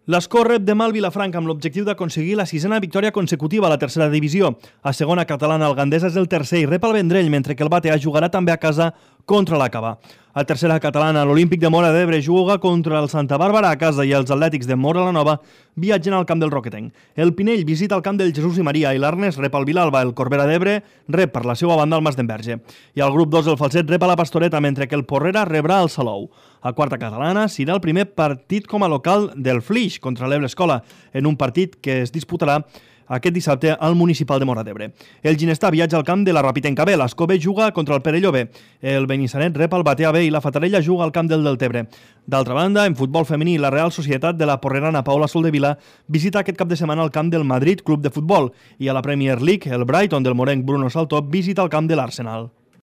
L'Escó rep demà el Vilafranca amb l'objectiu d'aconseguir la 6a victòria consecutiva a la tercera divisió. A segona catalana, el Gandesa és el tercer i rep el Vendrell, mentre que el Batea jugarà també a casa contra l'Acaba. A tercera catalana, l'Olímpic de Móra d'Ebre juga contra el Santa Bàrbara a casa i els Atlètics de Móra la Nova viatgen al camp del Roquetenc. El Pinell visita el camp del Jesús i Maria i l'Arnes rep el Vilalba. El Corbera d'Ebre rep per la seva banda el Mas d'Enverge. I al grup 2 el Falset rep a la Pastoreta, mentre que el Porrera rebrà el Salou. A quarta catalana serà el primer partit com a local del Flix contra l'Ebre Escola, en un partit que es disputarà aquest dissabte al Municipal de Móra d'Ebre. El Ginestà viatja al camp de la Rapitenca B, l'Escó B juga contra el Perelló B, el Benissanet rep el Batea B i la Fatarella juga al camp del Deltebre. D'altra banda, en futbol femení, la Real Societat de la Porrerana Paula Soldevila visita aquest cap de setmana el camp del Madrid Club de Futbol i a la Premier League, el Brighton del morenc Bruno Saltó visita el camp de l'Arsenal.